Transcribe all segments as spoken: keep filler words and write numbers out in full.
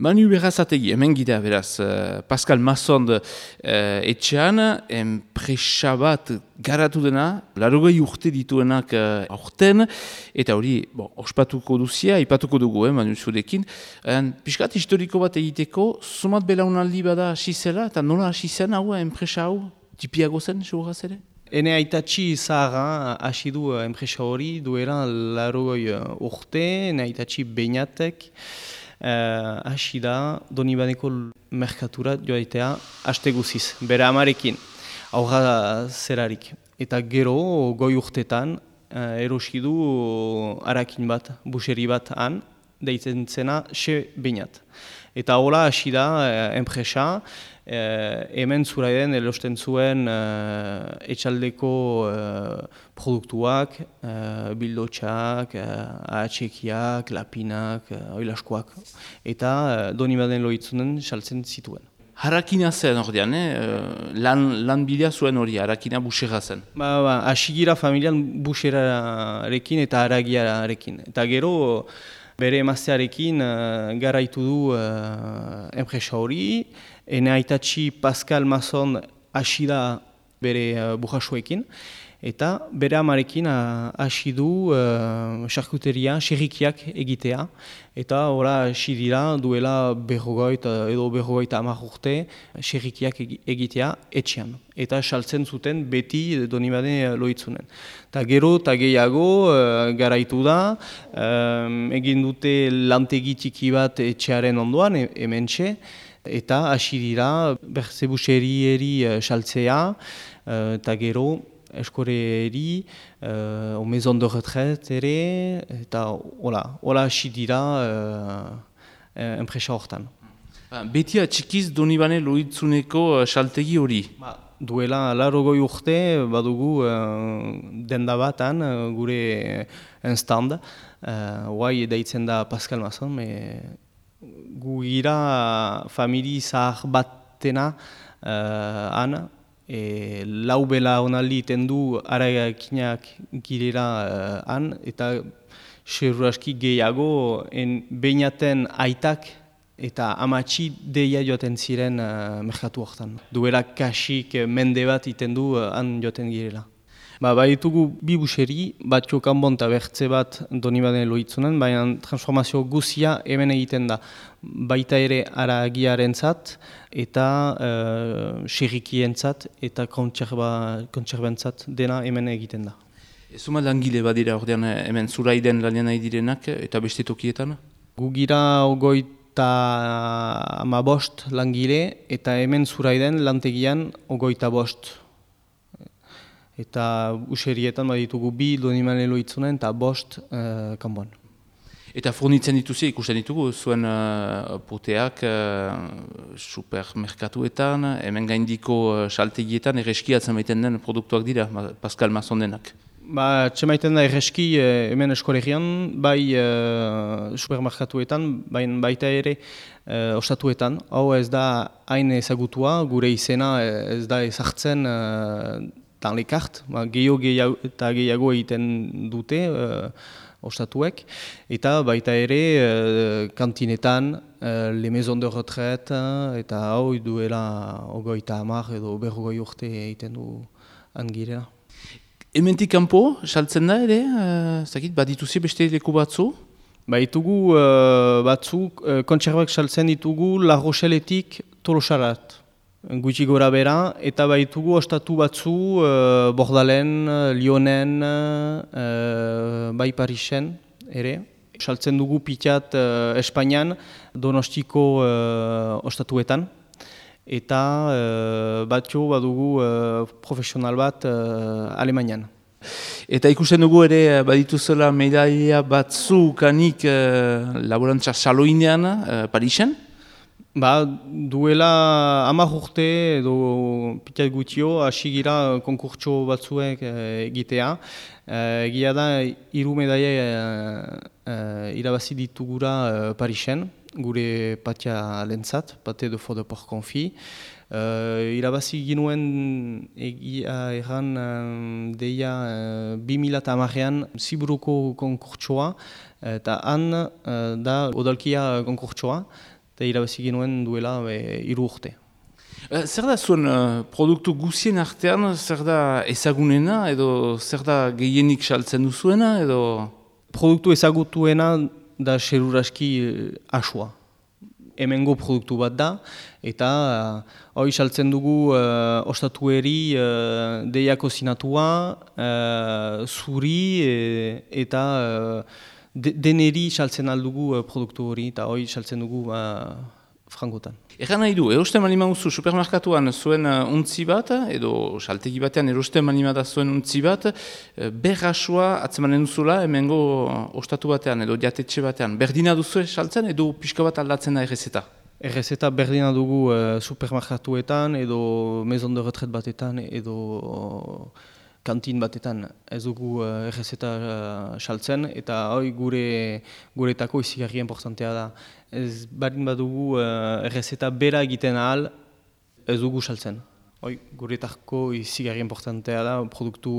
Manu Berrazategi, hemen gira beraz, uh, Pascal Massond uh, etxean, enpresa bat garatu dena, larogei urte dituenak uh, aurten, eta hori, bon, ospatuko duzia, ipatuko dugu, eh, Manu zurekin. En, piskat historiko bat egiteko, sumat belaunaldi bada hasi zela, eta nola hasi zen hau, enpresa hau, tipiago zen, seguraz ere? Ene aitatxi zaharra hasi du enpresa hori, duela larogei urte, ene aitatxi beinatek, hasi uh, da Donibaneko merkatura joaitea haste guziz, bere amarekin, aurra zerarik. Eta gero, goi urtetan, uh, erosi du harakin bat, buseri bat han, deitzen zena xe beinat. Eta hola hasi da uh, enpresa, Uh, hemen zuraiden erosten zuen uh, etxaldeko uh, produktuak, uh, bildotxak, uh, ahatsekiak, lapinak, uh, oilaskoak, eta uh, Donibanen loitzunen saltzen zituen. Harakina zen ordean, eh? lan, lan bidea zuen hori, harakina busera zen. Ba, ba, asigira familian buserarekin eta haragiarekin. Eta gero, bere emaztearekin uh, garaitu du uh, enpresa hori, ene aitatxi Pascal Massond hasi da bere uh, burrasuekin, eta bere amarekin hasi uh, du uh, charkuteria, xerrikiak egitea, eta ora hasi dira duela berrogoit edo berrogoit hamar urte xerrikiak egitea etxean. Eta saltzen zuten beti Donibane loitzunen. Ta gero eta gehiago uh, garaitu da, um, egin dute lantegi txiki bat etxearen ondoan, e hementxe, eta hasi dira berzebuserieri uh, saltzea, uh, eta gero eskoreri, uh, o maison de retraite ere, eta hola, hola hasi dira uh, enpresa hortan. Beti atxikiz Donibane loitzuneko saltegi hori? Ba, duela larogoi urte badugu uh, denda batan uh, gure stand, uh, guai deitzen da Pascal Massond, me gu gira famili zahar batena uh, han, e, lau bela onaldi iten du harakinak girela uh, han, eta seguraski gehiago en beinaten aitak eta amatxi deia joaten ziren uh, merkatu hortan. Duela kasik mende bat iten du uh, han joaten girela. Ba, baitugu bi buseri, bat jokanbon eta bertze bat Donibanen loitzunen, baina transformazio guzia hemen egiten da. Baita ere haragiarentzat eta uh, xerrikientzat eta kontserbentzat dena hemen egiten da. Zuma langile badira ordean hemen zuraiden lanean nahi direnak eta beste tokietan? Gu gira ogoita ama bost langile eta hemen zuraiden lantegian ogoita bost. Eta userietan baditugu bi Donibanen loitzunen eta bost uh, kanboan. Eta fornitzen dituzi, ikusten ditugu, zuen uh, poteak uh, supermerkatuetan, hemen gaindiko uh, saltegietan, erreskiatzen baiten den produktuak dira, Pascal Massondenak. Ba, txemaiten da erreski eh, hemen eskoregian, bai uh, supermerkatuetan, bai, baita ere uh, ostatuetan. Hau ez da hain ezagutua, gure izena ez da ezartzen uh, dan lekart, ba, gehiago gehiago eta gehiago egiten dute uh, ostatuek, eta baita ere uh, kantinetan, uh, le maison de retraite, eta hau duela ogoita hamar edo berrogoi urte egiten du angirela. Hementik kanpo, saltzen da ere, uh, zakit, badituzi beste leku batzu? Baitugu uh, batzuk, uh, kontserbak saltzen ditugu La Rocheletik Tolosarat. Gutxi gora bera, eta baitugu ostatu batzu uh, Bordalen, Lyonen, uh, bai Parisen ere. Saltzen dugu pitat uh, Espainian, Donostiko uh, ostatuetan. Eta uh, batxo badugu uh, profesional bat uh, Alemanian. Eta ikusten dugu ere badituzela medaia batzu kanik uh, laborantza saloinean uh, Parisen? Ba, duela hamar urte edo pitat gutxio hasi gira konkurtso batzuek egitea. Egia da, hiru medaia uh, irabazi ditugura uh, Parisen, gure patia lentzat, pate de faux de porc confit. Uh, irabazi ginuen egia erran um, deia uh, bi mila hamarean Ziburuko konkurtsoa, eta han uh, da odalkia konkurtsoa. eta irabazi genuen duela be, hiru urte. Zer da zuen uh, produktu guzien artean, zer da ezagunena edo zer da gehienik saltzen duzuena edo... Produktu ezagutuena da seruraski uh, asua. Hemengo produktu bat da, eta hori uh, saltzen dugu uh, ostatueri uh, deia kozinatua, uh, zuri e, eta uh, de, deneri saltzen aldugu uh, produktu hori, eta hori saltzen dugu uh, frangotan. Egan nahi du, erosten malima duzu supermerkatuan zuen uh, untzi bat, edo saltegi batean erosten malima da zuen untzi bat, uh, berrasua atzemanen duzula hemengo uh, ostatu batean edo jatetxe batean. Berdina duzu saltzen edo pixka bat aldatzen da errezeta? Errezeta berdina dugu uh, supermerkatuetan edo maison de retret batetan edo uh, kantin batetan. Ez dugu uh, errezeta uh, saltzen eta hori gure guretako izigarri importantea da. Ez barin badugu uh, errezeta bera egiten ahal, ez dugu saltzen. Hoi, guretako izigarri importantea da produktu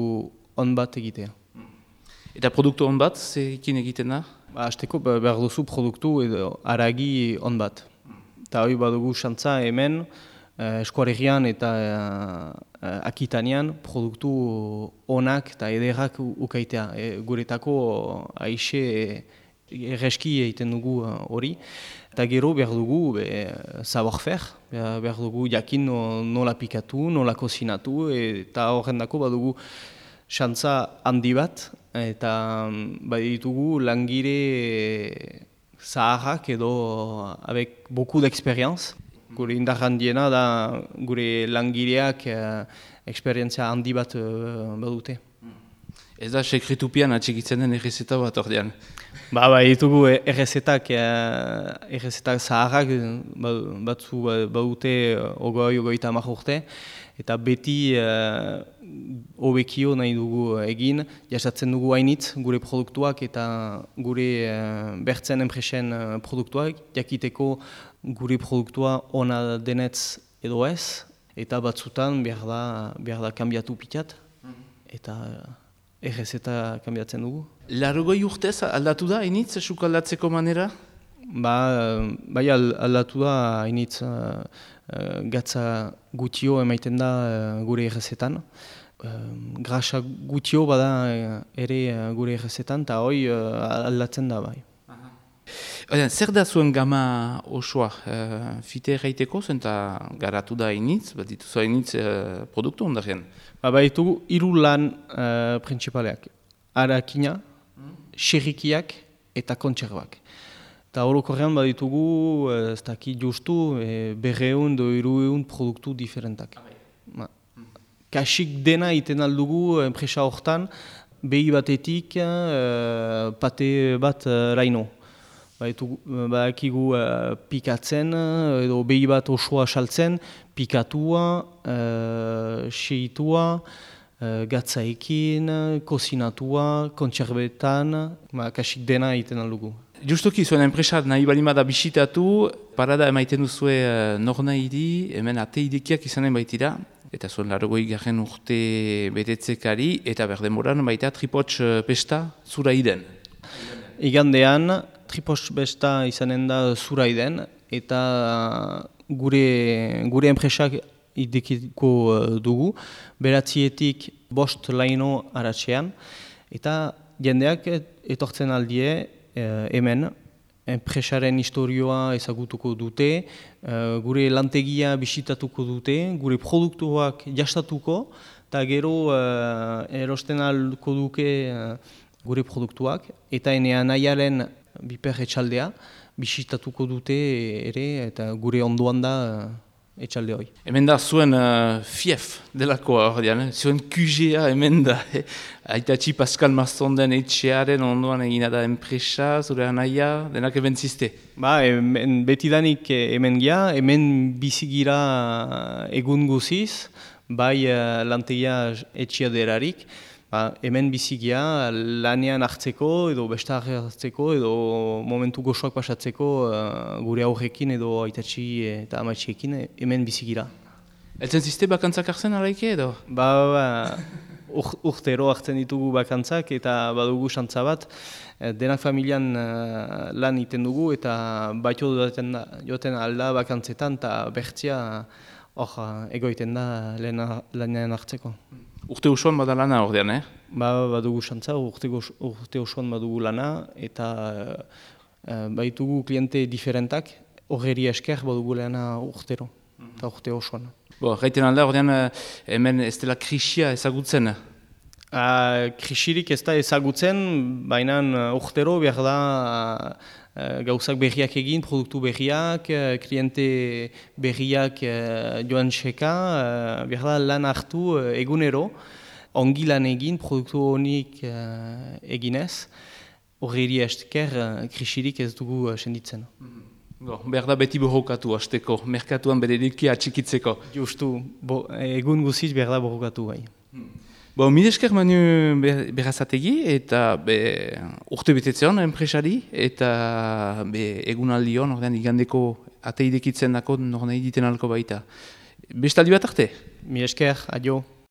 on bat egitea. Eta produktu on bat, zerekin egiten da? Ba, hasteko behar duzu produktu edo haragi on bat. Eta hoi badugu xantza hemen, uh, eskuaregian eta uh, akitanean produktu onak eta ederrak ukaitea. E, guretako aixe erreski egiten dugu hori. Uh, eta gero behar dugu savoir-faire, behar dugu jakin nola pikatu, nola kozinatu, eta horren dako badugu xantza handi bat, eta baditugu langile zaharrak edo avec beaucoup d'expérience. Gure indar handiena da gure langileak uh, eksperientzia handi bat uh, badute. Ez da sekretupian atxikitzen den errezeta bat ordean? Ba, ba, ditugu errezetak, errezetak zaharrak batzu badute ogoi, ogoita hamar urte, eta beti hobekio uh, nahi dugu egin, jasatzen dugu hainitz gure produktuak eta gure uh, bertzen enpresen uh, produktuak, jakiteko gure produktua ona denetz edo ez, eta batzutan behar da, behar da kanbiatu pitat, eta errezeta kanbiatzen dugu. Larogoi urtez aldatu da hainitz esuk aldatzeko manera? Ba, bai aldatu da hainitz uh, uh, gatza gutio emaiten da uh, gure errezetan. Uh, grasa gutio bada uh, ere uh, gure errezetan, eta hoi uh, aldatzen da bai. Oden, zer da zuen gama osoa? Uh, fite erraiteko zen eta garatu da hainitz, bat dituzu hainitz uh, produktu ondarrean? Ba, baitugu hiru lan uh, principaleak. Arakina, xerrikiak eta kontserbak. Eta horokorrean baditugu, ez dakit justu, e, berreun do hirueun produktu diferentak. Ba. Kasik dena iten aldugu enpresa hortan, behi batetik e, pate bat e, raino. Badakigu uh, pikatzen, edo behi bat osoa saltzen, pikatua, uh, seitua, uh, gatzaekin, kozinatua, kontserbetan, ba, kasik dena egiten aldugu. Justoki, zuen enpresa nahi balima da bisitatu, parada emaiten duzue uh, nor nahi di, hemen ate idekiak izanen baitira, eta zuen larogoi garen urte betetzekari, eta berdemoran baita tripots uh, pesta zura iden. Igandean, Tripos besta izanen da zuraiden, eta gure, gure enpresak idekiko dugu, beratzietik bost laino aratxean, eta jendeak etortzen aldie eh, hemen, enpresaren historioa ezagutuko dute, eh, gure lantegia bisitatuko dute, gure produktuak jastatuko, eta gero eh, erosten alduko duke eh, gure produktuak, eta enean nahiaren biper etxaldea, bisitatuko dute ere, eta gure ondoan da etxalde hori. Hemen da zuen uh, fief delakoa hor dian, eh? Zuen Q G A hemen da, eh? Aitatxi Pascal Mastonden etxearen ondoan egina da enpresa, zure anaia, denak eben ziste? Ba, hemen, betidanik hemen gira, hemen bizigira egun guziz, bai uh, lantegia etxia derarik, ba, hemen bizigia lanean hartzeko edo besta hartzeko edo momentu gozoak pasatzeko uh, gure aurrekin edo aitatxi eta amatxiekin hemen bizigira. Eltzen ziste bakantzak hartzen alaike edo? Ba, ba, ur- urtero hartzen ditugu bakantzak eta badugu xantza bat. Eh, Denak familian eh, lan iten dugu eta batio joten da, joten alda bakantzetan eta bertzia hor eh, egoiten da lehena- lanean hartzeko. Urte usuan bada lana ordean, eh? Ba, badugu xantza, urte, gos- urte osoan badugu lana eta eh, baitugu kliente diferentak, horreri esker badugu lana urtero, eta urte osoan. Bo, gaiten alda ordean eh, hemen ez dela krisia ezagutzen. Uh, krisirik ez da ezagutzen, baina uh, urtero behar da uh, gauzak berriak egin, produktu berriak, uh, kliente berriak uh, joan txeka, uh, behar da lan hartu uh, egunero, ongi lan egin, produktu honik uh, eginez, horreri esker uh, krisirik ez dugu uh, senditzen. Bo, behar da beti borrokatu hasteko, merkatuan bere likia atxikitzeko. Justu, bo, egun guziz behar da borrokatu bai. Bo, mil esker Manu Ber- Berazategi eta be, urte betetzean enpresari eta be, egunaldion, ordean igandeko ateidekitzen dako nor nahi diten alko baita. Bestaldi bat arte? Mi esker, adio.